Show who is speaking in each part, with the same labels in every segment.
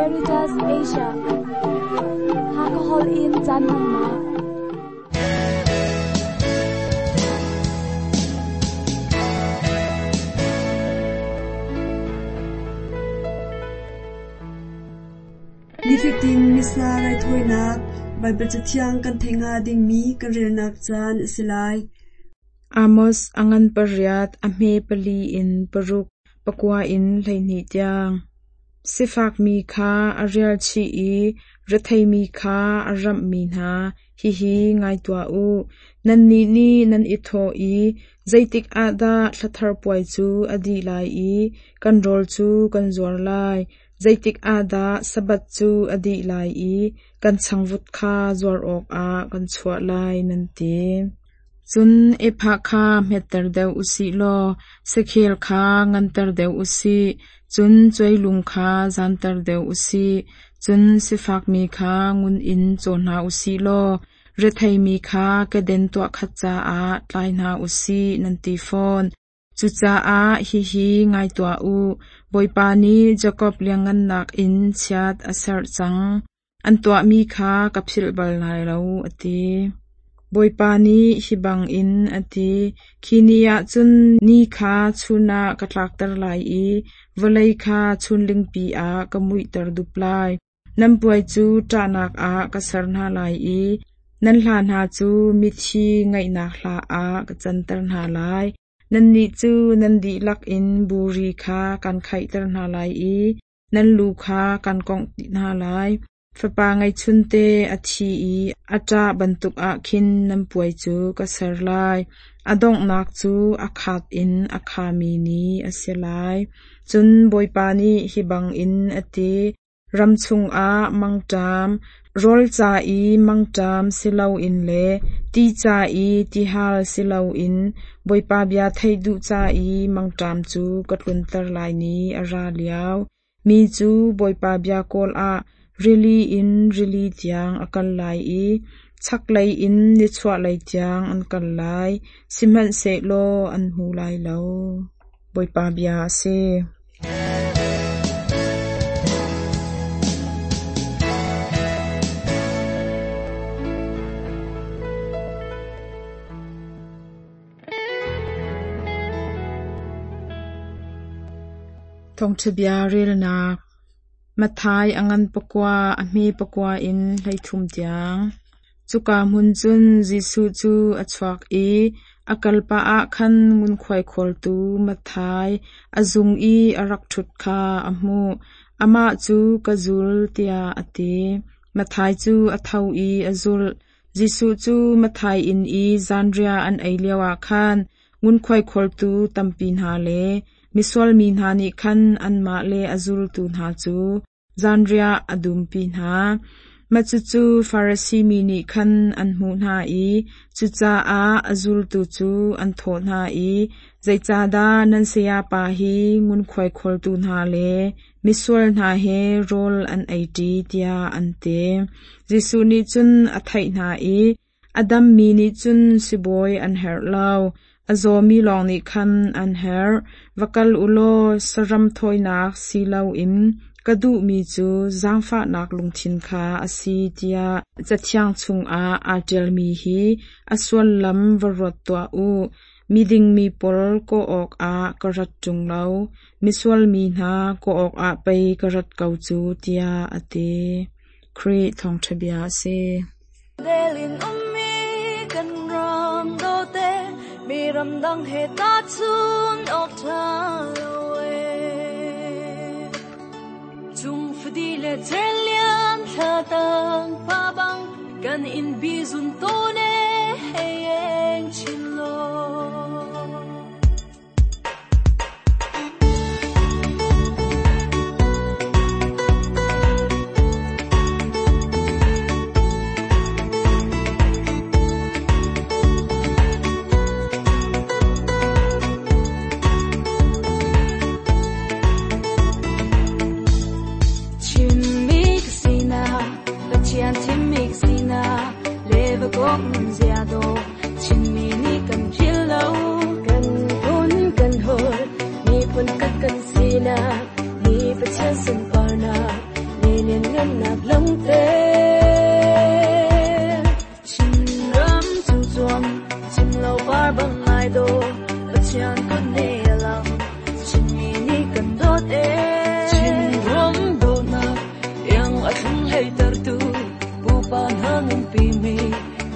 Speaker 1: Caritas Asia. Hakha holh in caan hmannak.
Speaker 2: Nifatin Missa raithawinak Baibal Cathiang kan theih hnga dingmi kan relnak caan a si lai.
Speaker 3: Amos a ngan pariat, a hme pali in paruk, pakua in 12 tiang. Sifakmi kha a rialchih i retheimi kha a ramhmi hna, hihi ngai tuah u. Nannih nih nan i thawh i, Zeitik ah dah thla thar puai cu a dih lai i kan rawl cu kan zuar lai? Zeitik ah dah Sabbath cu a dih lai i kan changvut kha zuar awkah kan chuah lai, nan ti. Cun ephah kha hmetter deuh u sih law sakhel kha nganter deuh u sih, cun cuailung kha zanter deuh u sih, cun sifakmi kha ngun in caw hna u sih law retheimi kha keden tuahkhat caah tlai hna u sih, nan ti fawn. Cucaah hihi ngai tuah u, Bawipa nih Jakob lianhngannak in chiat a serh cang. An tuahmi kha ka philh bal lai lo, a ti. Bawipa nih hi bangin a ti: Khi ni ah cun ni kha chun ah ka tlakter lai i vawlei kha chunlingpi ah ka muihter dup lai. Nan puai cu ṭahnak ah ka ser hna lai i nan hla hna cu mithi ngaihnak hla ah ka canter hna lai. Nannih cu nan dihlak in buri kha kan khaihter hna lai i nan lu kha kan kongh dih hna lai. Fapa ngeihchunte a thi i a ṭah bantuk ah khin nan puai cu ka ser lai. A donghnak cu a khat in a khami ni a si lai. Cun Bawipa nih hi bangin a ti: Ram chungah mangṭam, rawl ca i mangṭam si loin le ti ca i tihal si loin Bawipa bia theih duh ca i mangṭam cu ka tlunter lai ni a ra lio. Mi cu Bawipa bia kawl ah rili in rili tiang a kal lai i chaklei in nichuahlei tiang an kal lai, sihmanhsehlaw an hmu lai lo. Bawipa bia a si. Thawngṭha bia relnak Matthai a ngan pakua, a hme pakua in 13 tiang. Cuka hmun cun Jesuh cu a chuak i a kalpah ah khan ngunkhuai khawltu Matthai a zung i a rak ṭhut kha a hmuh. Amah cu ka zul tiah a ti. Matthai cu a tho i a zulh. Jesuh cu Matthai inn i zanriah an ei lioah khan ngunkhuai khawltu tampi hna le misual mi hna nih khan anmah le a zultu hna cu zanriah a dumpi hna. Mah cucu Farasi mi nih khan an hmuh hna i cucaah a zultu cu an thawh hna i, Zeicahdah nan sayapa hi ngunkhuai khawltu hna le misual hna he rawl an eiṭi, tiah an ti. Jesuh nih cun a theih hna i, A dammi nih cun sibawi an herh lo, a zawmi lawng nih khan an herh. Va kal u law saram thawinak si loin ka duhmi cu zaangfahnak lungthin kha a si tiah Cathiang chungah aa ṭialmi hi a sullam va ruat tuah u. Miding mi pawl kawh awkah ka rat ṭung lo, misual mi hna kawh awkah pei ka rat ko cu, tiah a ti. Khrih Thawngṭha bia a si.
Speaker 4: Delin ummi kan ram dawte mi ramdang he tahchun awk ṭha lo ee. Cung fadi le cerlian thla tang pa bang kan in bizun tawn e hei eng chin law. Chinmi ka sinak, Pathian thimmi ka sinak, le vakok nun zia dawh, Chinmi nih kan philh lo.
Speaker 5: Kan phun kan holh, miphun khat kan sinak, ni Pathian sunparnak, le Damnak langter. Chinram cu cuang, cim lo par bang ai do, Pathian kut ne lang, Chinmi nih kan dawt e.
Speaker 6: Chinram dawtnak, iang a thlung hlei tertu, pupa hna nunpi mi,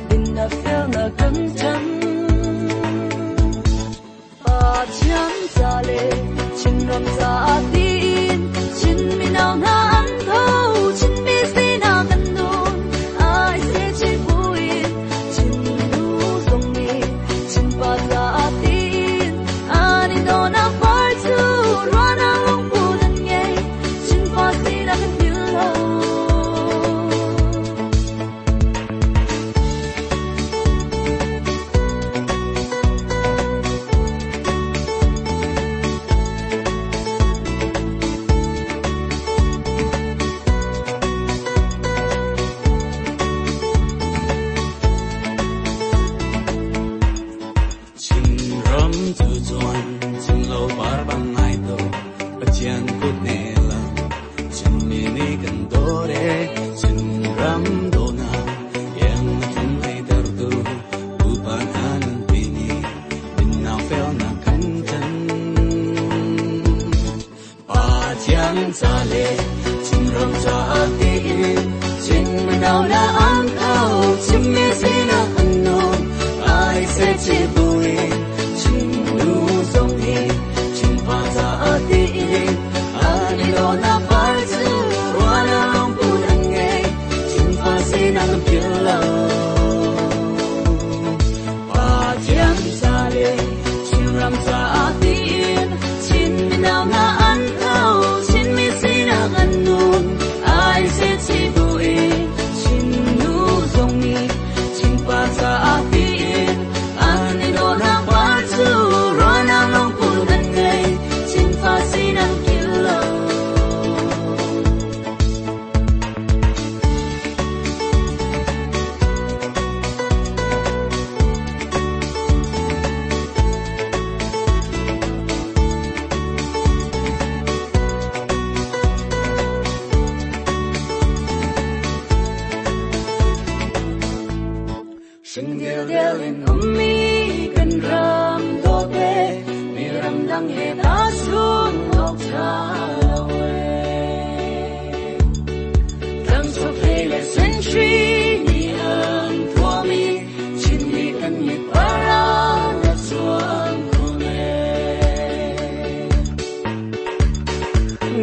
Speaker 6: dinnak felnak kan chan.
Speaker 4: Pathian ca le Chinram ca tiin, Chin mino hna an tho, Chinmi sinak kan nun, ai se chi buin, Chin nu zong nih, Chin pa ca tiin, an i dawnak par cu ruahnak lungput an ngei, Chin fa sinak kan philh lo.
Speaker 7: Chinram cu cuan, cimlo par bang ai do, Pathian kut ne lang, Chinmi nih kan dawt e. Chinram dawtnak, iang a tlung hlei tertu, pupa hna nunpi mi, dinnak felnak kan chan. Pathian ca le Chinram ca tiin, Chin mino hna an tho, Chinmi sinak an nun, ai se chi buin, Chin nu zong nih, Chin pa ca tiin, an i dawtnak par cu ruahnak lungput an ngei, Chin fa sinak an philh lo. Pathian ca le Chinram ca tiin, Chin mino hna an tho, Chinmi sinak an nun, ai se chi buin, Chin nu zong nih, Chin pa ca tiin, an i dawtnak par cu ruahnak lungput an ngei, Chin fa sinak an philh lo.
Speaker 6: Shin dildel in ummi kan ram dawt e, mi ram dang he ta sun ok tha lo e. Tlang chok hlei le century ni an thuami, Chinmi kan mit para na chuang khun e.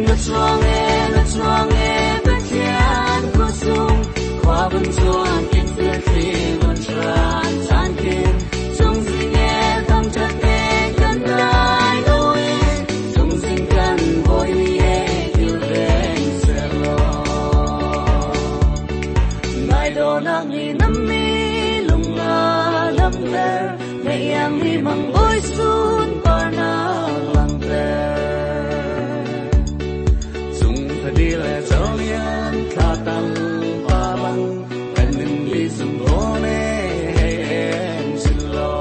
Speaker 6: Na chuang e, na chuang e, Pathian ko sung, khua vun chuan kin sil thli vun tran chan kin, chung sing e, thang that e, kan dai lo e, chung sing kan boi ni e, kil veng se lo. Ngai do nang ni nam mi lung nga lam ter, mẹ yang ni mang boi sun par na lang ter.
Speaker 7: Chung tha di le zo lian thla tang pa bang, pen nin li sung go ne hei em sin lo.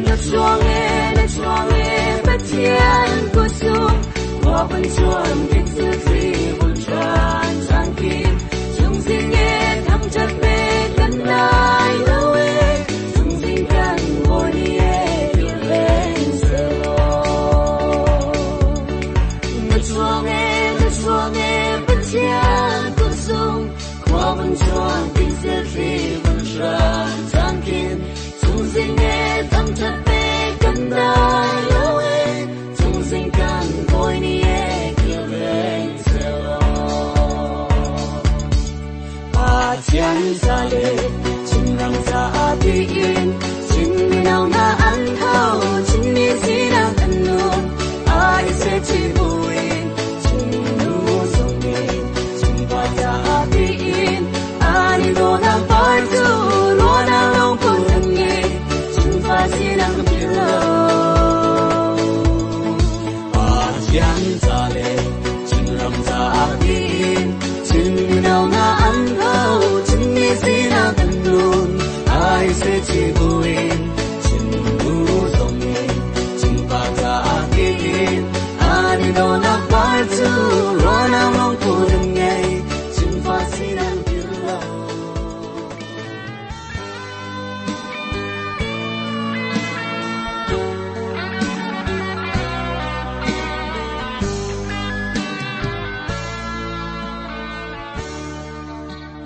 Speaker 6: Na chuang e, na chuang e, Pathian ko sung, khua vun chuan kin sil thli vun tran chan kin, chung sing e, thang chat me kan dai lo e, chung sing kan boi ni e, kil veng se lo. Na chuang e, na chuang e, Pathian ko sung, khua vun chuan kin sil thli vun tran chan kin, chung sing e, thang chat me kan dai lo e, chung sing kan boi ni e, kil veng se lo.
Speaker 7: Pathian ca le Chinram ca tiin, Chin mino hna an tho, Chinmi sinak an nun, ai se chi buin, Chin nu zong nih, Chin pa ca tiin, an i dawtnak par cu ruahnak lungput an ngei, Chin fa sinak an philh lo. Pathian ca le Chinram ca tiin, Chin mino hna an tho, Chinmi sinak cu ruahnak lungput an ngei Chinfa sinak til lo.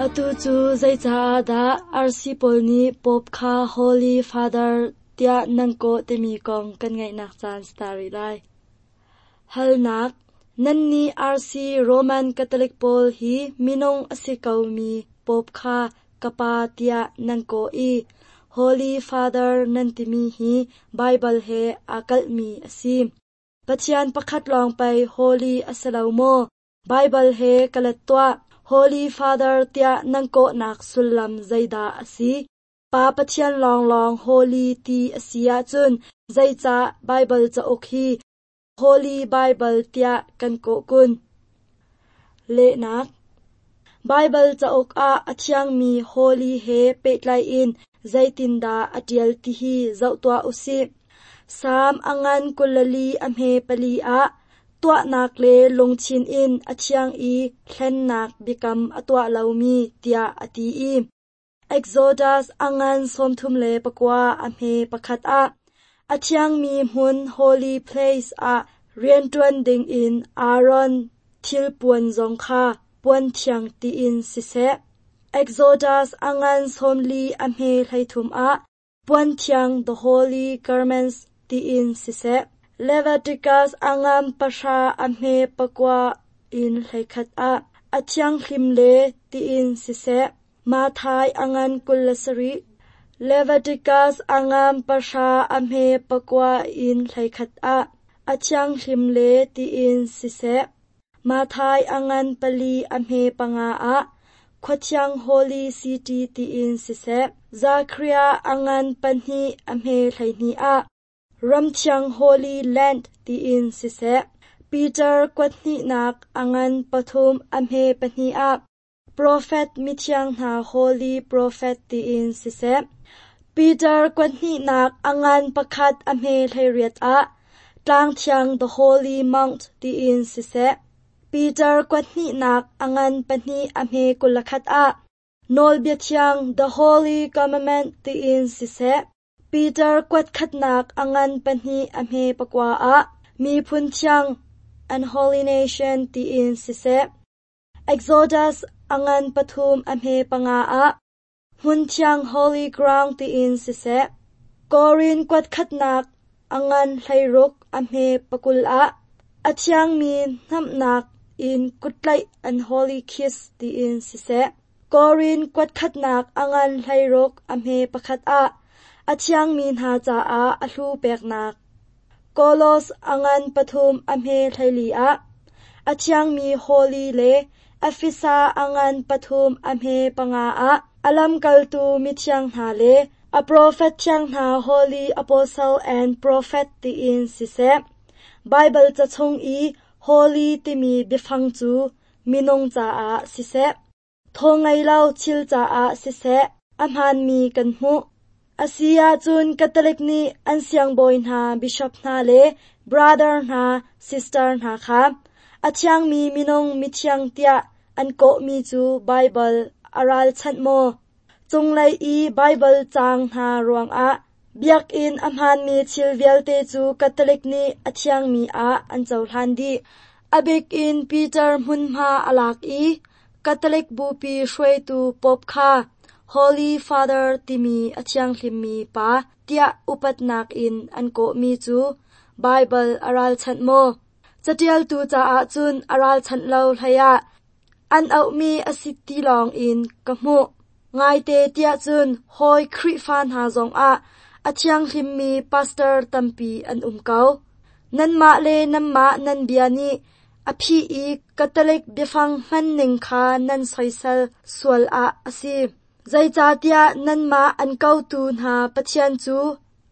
Speaker 5: Atu cu zeicaah dah RC pawl nih Pope kha Holy Father tiah nan kawh timi kong kan ngaihnak caan si ta rih lai. Halnak, Nannih RC Roman Catholic pawl hi minung a si komi Pope kha ka pa tiah nan kawh i Holy Father nan timi hi Baibal he aa kalhmi a si. Pathian pakhat lawng pei Holy a si lo maw? Baibal he ka let tuah. Holy Father tiah nan kawhnak sullam zeidah a si? Pa Pathian lawnglawng Holy ti a si ahcun zeicah Baibal cauk hi Holy Bible tiah kan kawh kun? Lehnak Baibal cauk ah a thiangmi Holy he pehtlai in zeitindah a ṭial tihi zoh tuah usih. Salm a ngan 24 a hme pali ah tuahnak le lungthin in a thiang i hlennak biakam a tuah lomi tiah a ti i Exodus a ngan 39 a hme pakhat ah a thiangmi hmun Holy Place ah rianṭuan dingin Aaron thilpuan zong kha puan thiang tiin siseh. Exodus a ngan 40 a hme 33 ah puan thiang the holy garments tiin siseh. Leviticus a ngan 10 a hme 9 in 11 ah a thianghlim le tiin siseh. Matthai a ngan 27, Leviticus a ngan 10 a hme 9 in 11 ah a thianghlim le tiin siseh. Matthai a ngan 4 a hme 5 ah khuathiang Holy City tiin siseh. Zachariah a ngan 2 a hme 12 ah ramthiang Holy Land tiin siseh. Peter kuathnihnak a ngan 3 a hme 2 ah Profet mithiang hna Holy Prophet tiin siseh. Peter kuathnihnak a ngan 1 a hme 18 ah tlangthiang the Holy Mount tiin siseh. Peter kuathnihnak a ngan 2 a hme 21 ah nawlbia thiang the Holy Commandment tiin siseh. Peter kuatkhatnak a ngan 2 a hme 9 ah miphun thiang and Holy Nation tiin siseh. Exodus a ngan 3 a hme 5 ah hmun thiang Holy Ground tiin siseh. Korin kuatkhatnak a ngan 16 a hme 20 ah a thiangmi hnamhnak in kuttlaih an Holy Kiss tiin siseh. Korin kuatkhatnak a ngan 16 a hme 1 ah a thiangmi hna caah a hlu peknak. Kolos a ngan 3 a hme 14 ah a thiangmi Holy le Efesa a ngan 3 a hme 5 ah a lamkaltu mithiang hna le a profet thiang hna Holy Apostle and Prophet tiin siseh. Baibal ca chung i Holy timi biafang cu minung caah siseh. Thaw ngei lo thil caah siseh a hmaanmi kan hmuh. A si ahcun Catholic nih an siangbawi hna, bishop hna le brother hna, sister hna kha a thiangmi minung mithiang tiah an kawhmi cu Baibal a ralchanh maw? Cunglei i Baibal caang hna ruangah biakinn a hmaanmi thil vialte cu Catholic nih a thiangmi ah an cohlan dih. A bik in Peter hmunhma a lak i Catholic bupi hruaitu Pope kha Holy Father timi a thianghlimmi pa tiah upatnak in an kawhmi cu Baibal a ralchanh maw? Caṭialtu caah cun a ralchanh lo hleiah an auhmi a si ti lawng in ka hmuh. Ngaite tiah cun hawi Khrihfa hna zongah a thianghlimmi pastor tampi an um ko. Nanmah le nanmah nan bia nih a phih i Catholic biafang hmanning kha nan soisel sual ah a si. Zeicahtiah nanmah an kotu hna Pathian cu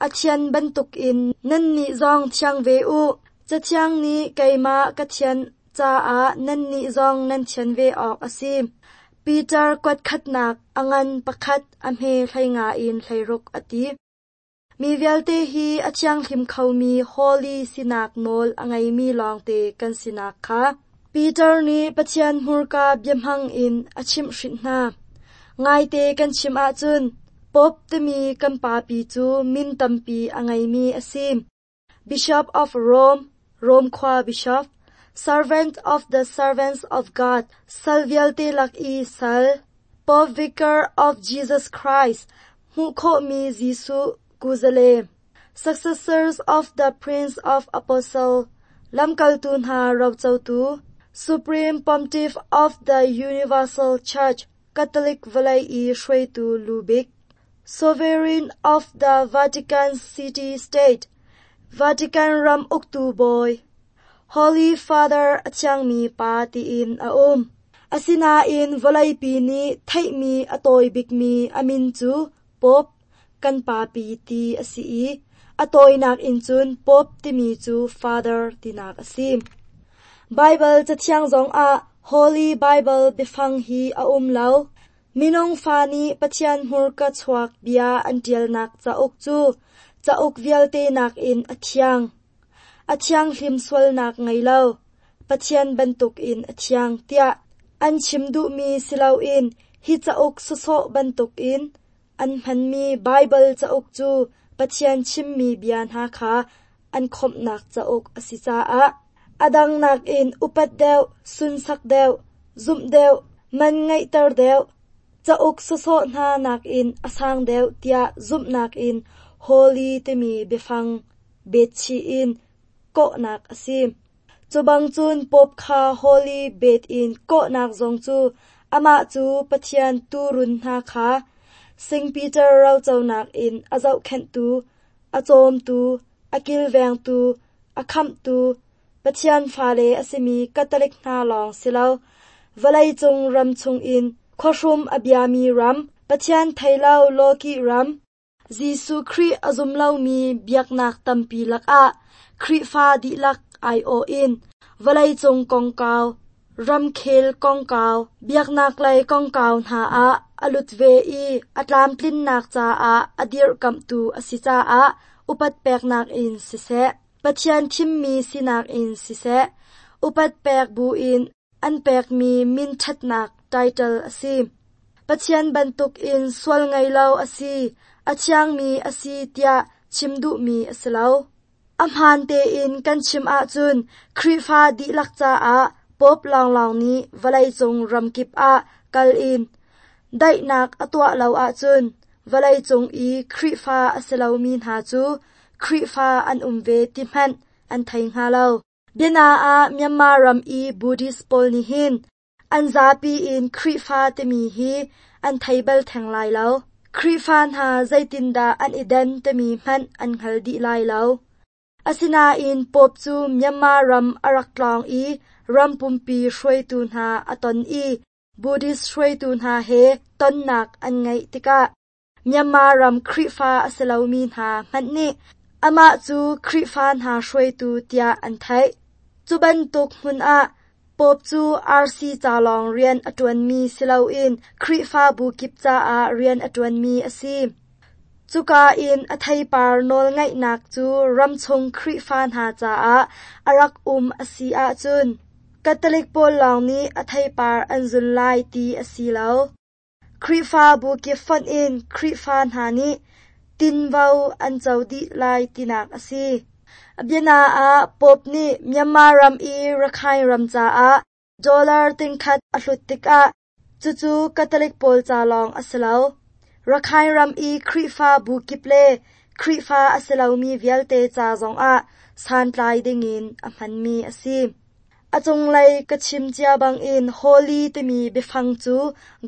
Speaker 5: a thian bantukin nannih zong thiang ve u. Cathiang nih keimah ka thian caah nannih zong nan thian ve awk a si. Peter kuatkhatnak a ngan 1 a hme 15 in 16 a ti. Mi vialte hi a thianghlim khomi holy sinak nawl a ngeimi lawngte kan sinak kha. Peter nih Pathian hmurka biahmang in a chimhhrinh hna. Ngaite kan chim ahcun Pope timi kan papi cu min tampi a ngeimi a si. Bishop of Rome, Rome khua bishop, Servant of the Servants of God, sal vialte lak i sal, Pope Vicar of Jesus Christ, hmuh khawhmi Jesuh kuzale, Successors of the Prince of Apostle, lamkaltu hna rocotu, Supreme Pontiff of the Universal Church, Catholic vawlei i hruaitu lubik, Sovereign of the Vatican City State, Vatican ram uktu bawi, Holy Father a thiangmi pa tiin a um. Asinain vawleipi nih theihmi a tawi bikmi a min cu Pope kan papi ti a si i a tawinak in cun Pope timi cu Father tinak a si. Baibal Cathiang zongah Holy Bible biafang hi a um lo. Minung fa nih Pathian hmurka chuak bia an ṭialnak cauk cu cauk vialte nakin a thiang. A thianghlim sualnak ngei lo, Pathian bantukin a thiang tiah an chim duhmi si loin hi cauk sawsawh bantukin an hmanmi Baibal cauk cu Pathian chimmi bia hna kha an khawmhnak cauk a si caah a dang nakin upat deuh, sunsak deuh, zumh deuh, man ngeihter deuh, cauk sawsawh hna nakin a sang deuh tiah zumhnak in holy timi biafang betchih in kawhnak a si. Cu bang cun Pope kha holy bet in kawhnak zong cu amah cu Pathian tuurun hna kha Saint Peter roconak in a zohkhenhtu, a cawmtu, a kilvengtu, a khamhtu, Pathian fale a simi Catholic hna lawng si lo, vawleicung ram chungin khuahrum a biami ram, Pathian thei lo lawkih ram, Jesuh Khrih a zum lomi biaknak tampi lakah Khrihfa dihlak aiawh in vawleicung kongkau, ramkhel kongkau, biaknak lei kongkau hna ah a lut ve i a tlamtlinnak caah a dirhkamhtu a si caah upat peknak in siseh, Pathian thimmi sinak in siseh, upat pek buin an pekmi min ṭhatnak title a si. Pathian bantukin sual ngei lo a si, a thiangmi a si tiah chim duhmi a si lo. A hmaan tein kan chim ahcun Khrihfa dihlak caah Pope lawnglawng nih vawleicung ramkip ah kal in daihnak a tuah lo ahcun vawleicung i Khrihfa a si lomi hna cu Khrihfa an um ve ti hmanh an thei hnga lo. Biana ah Myanmar ram i Buddhist pawl nih hin an zapi in Khrihfa timi hi an thei bal theng lai lo. Khrihfa hna zeitindah an i den timi hmanh an hngal dih lai lo. Asinain Pope cu Myanmar ram a rak tlawng i ram pumpi hruaitu hna a ton i Buddhist hruaitu hna he tonnak an ngeih tikah Myanmar ram Khrihfa a si lomi hna hmanh nih amah cu Khrihfa hna hruaitu tiah an theih. Cu bantuk hmun ah Pope cu RC ca lawng rian a ṭuanmi si loin Khrihfabu kip caah rian a ṭuanmi a si. Cuka in a theipar nawlngaihnak cu ramchung Khrihfa hna caah a rak um a si ahcun Catholic pawl lawng nih a theipar an zun lai ti a si lo. Khrihfabu kip fonh in Khrihfa hna nih tinvo an co dih lai tinak a si. Biana ah Pope nih Myanmar ram i Rakhine ram caah dollar tingkhat a hlut tikah cucu Catholic pawl ca lawng a si lo. Rakhine ram i Khrihfabu kip le Khrihfa a si lomi vialte ca zongah santlai dingin a hmanmi a si. A cunglei ka chim cia bangin Holy timi biafang cu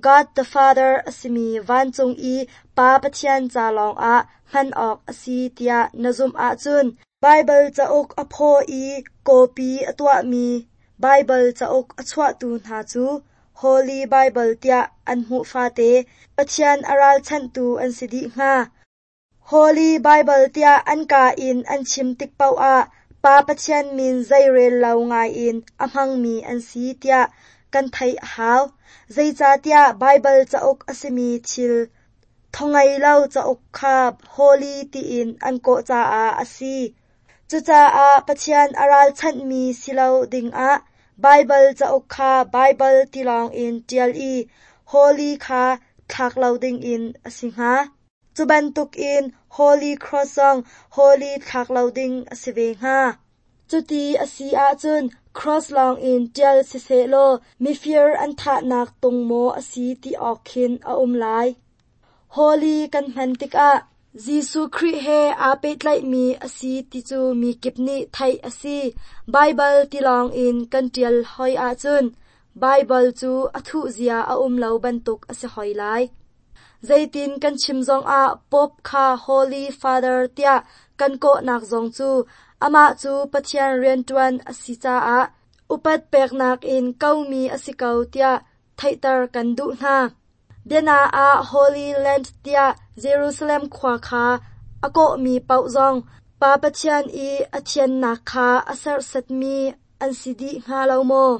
Speaker 5: God the Father a simi vancung i Pa Pathian ca lawngah hman awk a si tiah na zumh ahcun Baibal cauk a phaw i kawpi a tuahmi Baibal cauk a chuahtu hna cu Holy Bible tiah an hmuh fate Pathian a ralchanhtu an si dih hnga. Holy Bible tiah an kaa in an chim tik paoh ah Pa Pathian min zeirel lo ngaiin a hmangmi an si tiah kan theih a hau. Zeicahtiah Baibal cauk a simi thil thawngei lo cauk kha Holy tiin an kawh caah a si. Cucaah Pathian a ralchanhmi si lo dingah Baibal cauk kha Baibal ti lawngin ṭial i Holy kha thlak lo dingin a si hnga. Cu bantukin Holy Cross zong Holy thlak lo ding a si ve hnga. Cuti a si ahcun Cross lawngin ṭial sisehlaw mifir an thahnak tung maw a si ti awk khin a um lai. Holy kan hman tikah Jesuh Khrih he aa pehtlaihmi a si ti cu mi kip nih theih a si. Baibal ti lawngin kan ṭial hoi ahcun Baibal cu a thuhzia a um lo bantuk a si hoi lai. Zeitin kan chim zongah Pope kha Holy Father tiah kan kawhnak zong cu amah cu Pathian rianṭuan a si caah upat peknak in komi a si ko tiah theihter kan duh hna. Biana ah Holy Land tiah Jerusalem khua kha a kawhmi paoh zong Pa Pathian i a thiannak kha a serhsatmi an si dih hnga lo maw?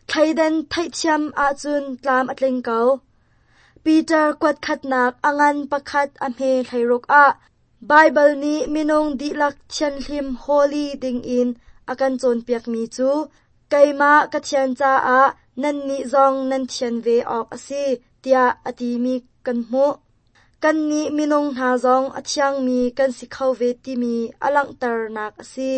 Speaker 5: Thleidan theihthiam ahcun tlam a tling ko. Peter kuatkhatnak a ngan pakhat a hme 16 ah Baibal nih minung dihlak thianhlim holy dingin a kan cawnpiakmi cu keimah ka thian caah nannih zong nan thian ve awk a si tiah a timi kan hmuh. Kannih minung hna zong a thiangmi kan si kho ve timi a langhternak a si.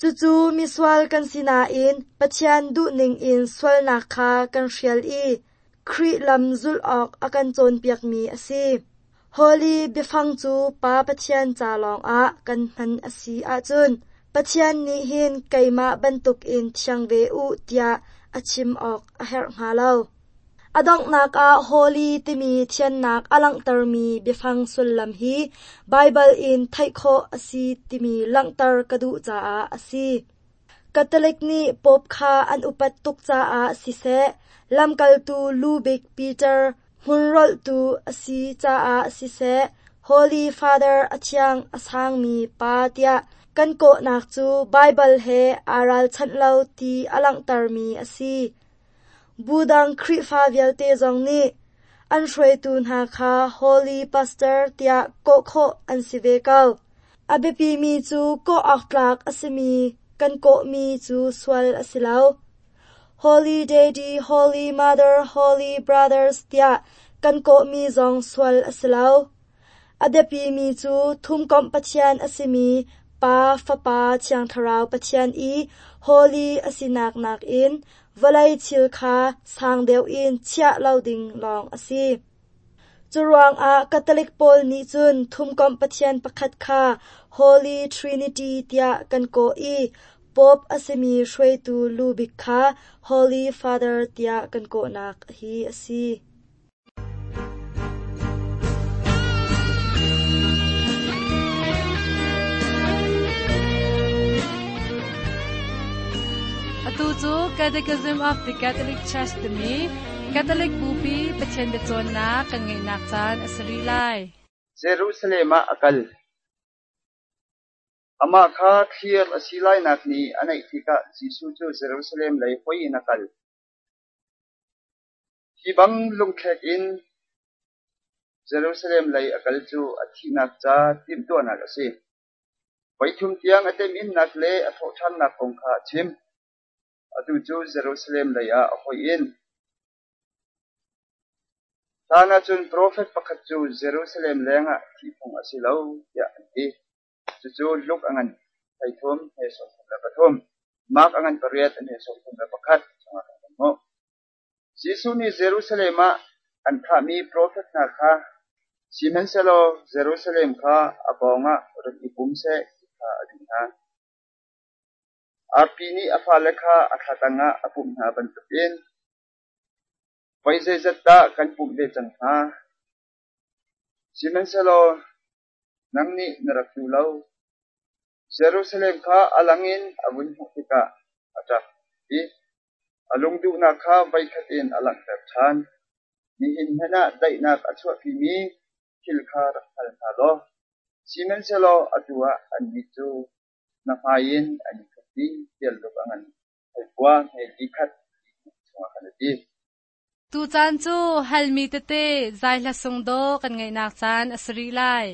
Speaker 5: Cucu misual kan si nain Pathian duhning in sualnak kha kan hrial i Khrih lam zulh awk a kan cawnpiakmi a si. Holy biafang cu Pa Pathian ca lawngah kan hman a si ahcun Pathian nih hin keimah bantukin thiang ve u tiah a chim awk a herh hnga lo. A donghnak ah holy timi thiannak a langhtermi biafang sullam hi Baibal in theih khawh a si timi langhter ka duh caah a si. Catholic nih Pope kha an upat tuk caah siseh, lamkaltu lubik Peter hmunrolhtu a si caah siseh, Holy Father a thiang a sangmi pa tiah kan kawhnak cu Baibal he aa ralchanh lo ti a langhtermi a si. Budang Khrihfa vialte zong nih an hruaitu hna kha Holy Pastor tiah kawh khawh an si ve ko. A biapimi cu kawh awk tlak a simi kan kawhmi cu sual a si lo. Holy Daddy, Holy Mother, Holy Brothers tiah kan kawhmi zong sual a si lo. A biapimi cu thumkomh Pathian a simi Pa, Fapa, Thiang Thlarau Pathian i Holy a sinak nakin vawlei thil kha sang deuh in chiah lo ding lawng a si. Curuangah Catholic pawl nih cun thumkomh Pathian pakhat kha Holy Trinity tiah kan kawh i Pope a simi hruaitu lubik kha Holy Father tiah kan kawhnak hi a si.
Speaker 8: Atu cu Catechism of the Catholic Church timi Catholic Bupi Pathian biacawnnak kan ngeihnak caan a si rih lai.
Speaker 9: Jerusalem ah a kal. Amah kha thlir a si lainak ni a naih tikah Jesuh cu Jerusalem lei hoih in a kal. Hi bang lungthlek in Jerusalem lei a kal cu a thihnak ca timhtuahnak a si. Voithum tiang a temhinnak le a thawhṭhannak kong kha a chim. Atu cu Jerusalem lei ah a hoih in. Hlan ahcun profet pakhat cu Jerusalem lengah thih phung a si lo tiah an ti. Cucu Luke a ngan 33 he 33, Mark a ngan 8 he 31 chungah kan hmuh. Jesuh nih Jerusalem ah an thahmi profet hna kha sihmanhsehlaw Jerusalem kha a pawngah rak i pum seh ti kha a duh hna. Arpi nih a fale kha a thla tangah a pumh hna bantukin voi zeizat dah kan pumh ve cang hnga? Sihmanhsehlaw nang nih na rak duh lo. Jerusalem kha a lang in a vun hmuh tikah a ṭap i a lungduhnak kha voikhat in a langhter ṭhan. Nihin hmanh ah daihnak a chuahpimi thil kha rak hngal hna law, sihmanhsehlaw atu ah annih cu na hmai in an i thup dih tiah luk a ngan hleikua hme li khat chungah khan a ti.
Speaker 8: Tucaan cu halmi tete zaihla sungdaw kan ngeihnak caan a si rih lai.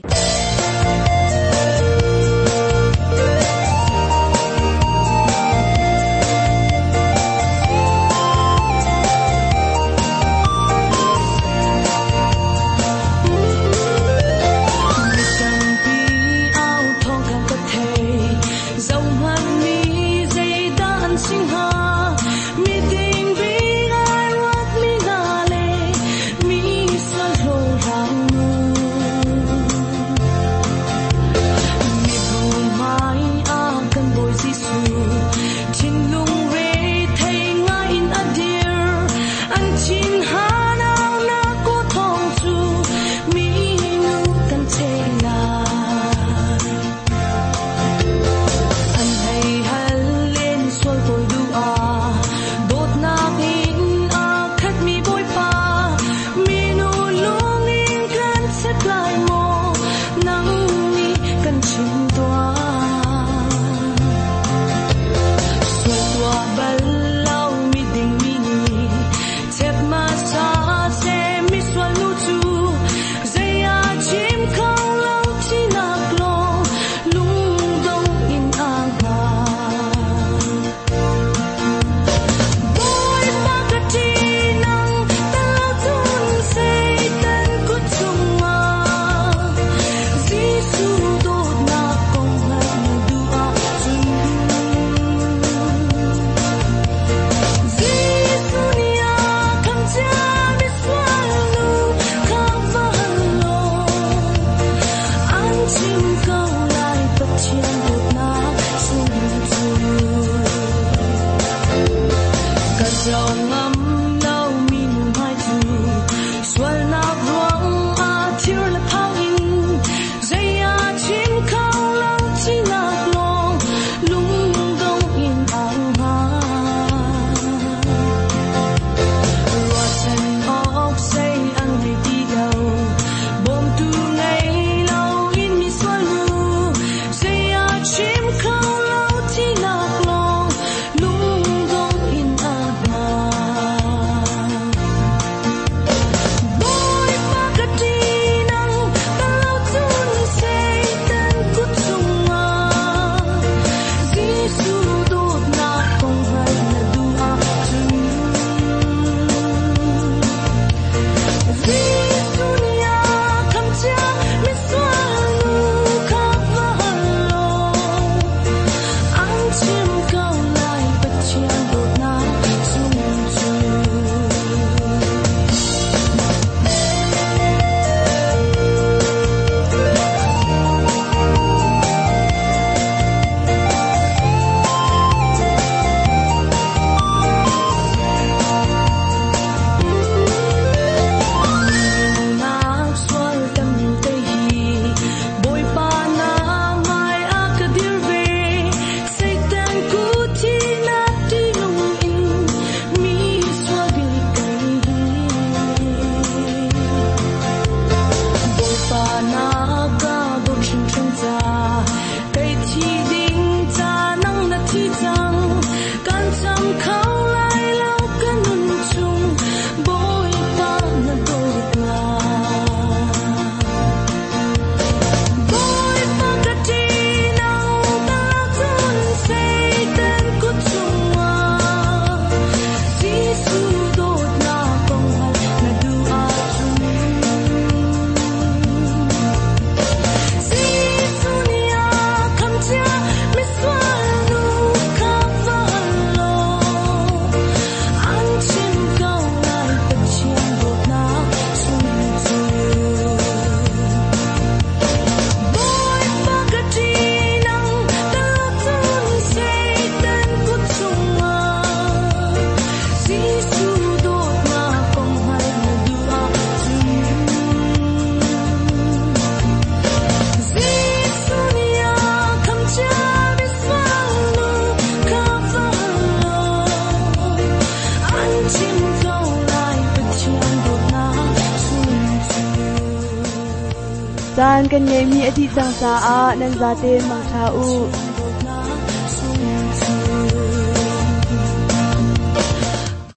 Speaker 2: Caan kan ngeihmi a dih cang caah nan zaten mangṭha u.